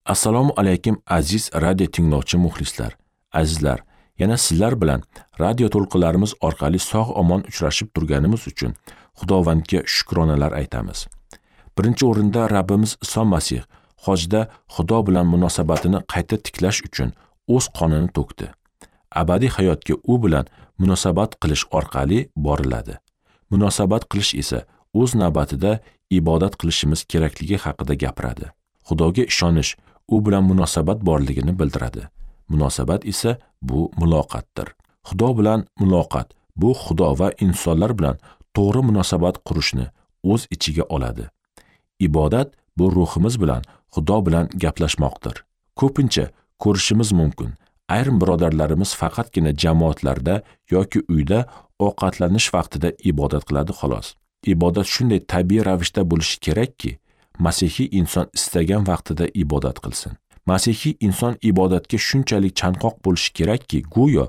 Assalomu alaykum aziz radio tinglovchi muxlislar. Azizlar, yana sizlar bilan radio to'lqinlarimiz orqali sog'-omon uchrashib turganimiz uchun Xudovandga shukronalar aytamiz. Birinchi o'rinda Rabbimiz Iso Masih hojda Xudo bilan munosabatini qayta tiklash uchun o'z qonini to'kdi. Abadiy hayotga u bilan munosabat qilish orqali boriladi. Munosabat qilish esa o'z navbatida ibodat qilishimiz kerakligi haqida gapiradi. Xudoga ishonish u bilan munosabat borligini bildiradi. Munosabat esa bu muloqotdir. Xudo bilan muloqot bu Xudo va insonlar bilan to'g'ri munosabat qurishni o'z ichiga oladi. Ibodat bu ruhimiz bilan Xudo bilan gaplashmoqdir. Ko'pincha ko'rishimiz mumkin, ayrim birodarlarimiz faqatgina jamoatlarda yoki uyda ovqatlanish vaqtida ibodat qiladi xolos. Ibodat shunday tabiiy ravishda bo'lishi kerakki, masihiy inson istagan vaqtida ibodat qilsin. Masihiy inson ibodatga shunchalik chanqoq bo'lishi kerakki, go'yo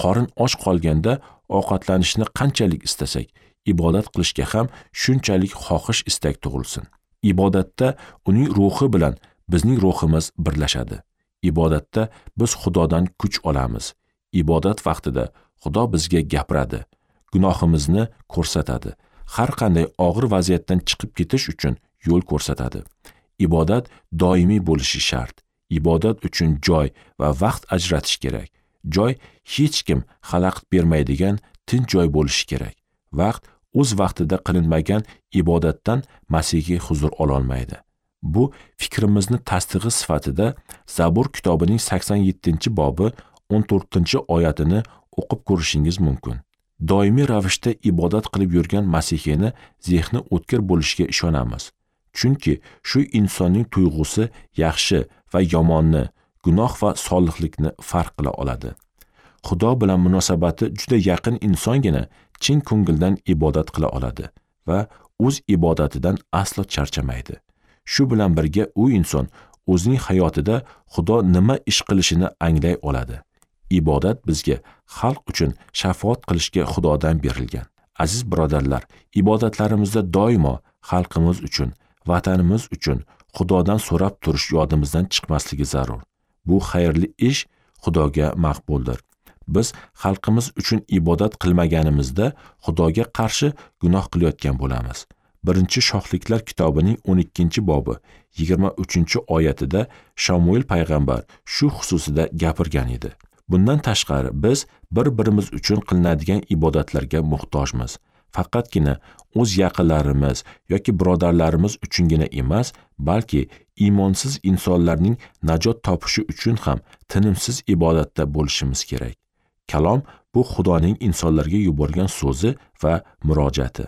qorin och qolganda ovqatlanishni qanchalik istasak, ibodat qilishga ham shunchalik xohish istak tug'ilsin. Ibodatda uning ruhi bilan bizning ruhimiz birlashadi. Ibodatda biz Xudodan kuch olamiz. Ibodat vaqtida Xudo bizga gapiradi, gunohimizni ko'rsatadi. Har qanday og'ir vaziyatdan chiqib ketish uchun yo'l ko'rsatadi. Ibodat doimiy bo'lishi shart. Ibodat uchun joy va vaqt ajratish kerak. Joy hech kim xalaqit bermaydigan tinch joy bo'lishi kerak. Vaqt o'z vaqtida qilinmagan ibodatdan masihiy huzur ola olmaydi. Bu fikrimizni tasdig'i sifatida Zabur kitobining 87-bobi 14-oyatini o'qib ko'rishingiz mumkin. Doimiy ravishda ibodat qilib yurgan masihiyni zehni o'tkir bo'lishiga ishonamiz. Chunki shu insonning tuyg'usi yaxshi va yomonni, gunoh va solihlikni farq qila oladi. Xudo bilan munosabati juda yaqin insongina chin ko'ngildan ibodat qila oladi va o'z ibodatidan aslo charchamaydi. Shu bilan birga u inson o'zining hayotida Xudo nima ish qilishini anglay oladi. Ibodat bizga xalq uchun shafaat qilishga Xudodan berilgan. Aziz birodarlar, ibodatlarimizda doimo xalqimiz uchun, vatanimiz uchun Xudodan so'rab turish yodimizdan chiqmasligi zarur. Bu xayrli ish Xudoga maqbuldir. Biz xalqimiz uchun ibodat qilmaganimizda Xudoga qarshi gunoh qilayotgan bo'lamiz. 1-Shohliklar kitobining 12-bobi 23-oyatida Shamuel payg'ambar shu xususida gapirgan edi. Bundan tashqari biz bir-birimiz uchun qilinadigan ibodatlarga muhtojmiz. Faqatgina o'z yaqinlarimiz yoki birodarlarimiz uchungina emas, balki iymonsiz insonlarning najot topishi uchun ham tinimsiz ibodatda bo'lishimiz kerak. Kalom bu Xudoning insonlarga yuborgan so'zi va murojaati.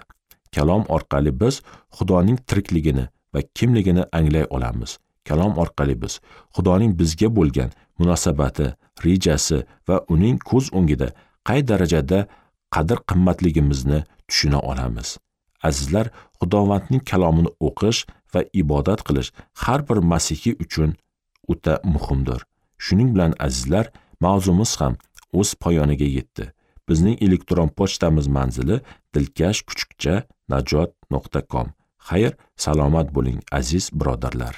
Kalom orqali biz Xudoning tirikligini va kimligini anglay olamiz. Kalom orqali biz Xudoning bizga bo'lgan munosabati, rejasi va uning ko'z o'ngida qay darajada qadr-qimmatligimizni tushuna olamiz. Azizlar, Xudovandning kalomini o'qish va ibodat qilish har bir masihiy uchun o'ta muhimdir. Shuning bilan azizlar, mavzumiz ham o'z poyoniga yetdi. Bizning elektron pochtamiz manzili dilkash@najot.com. Xayr, salomat bo'ling aziz birodarlar.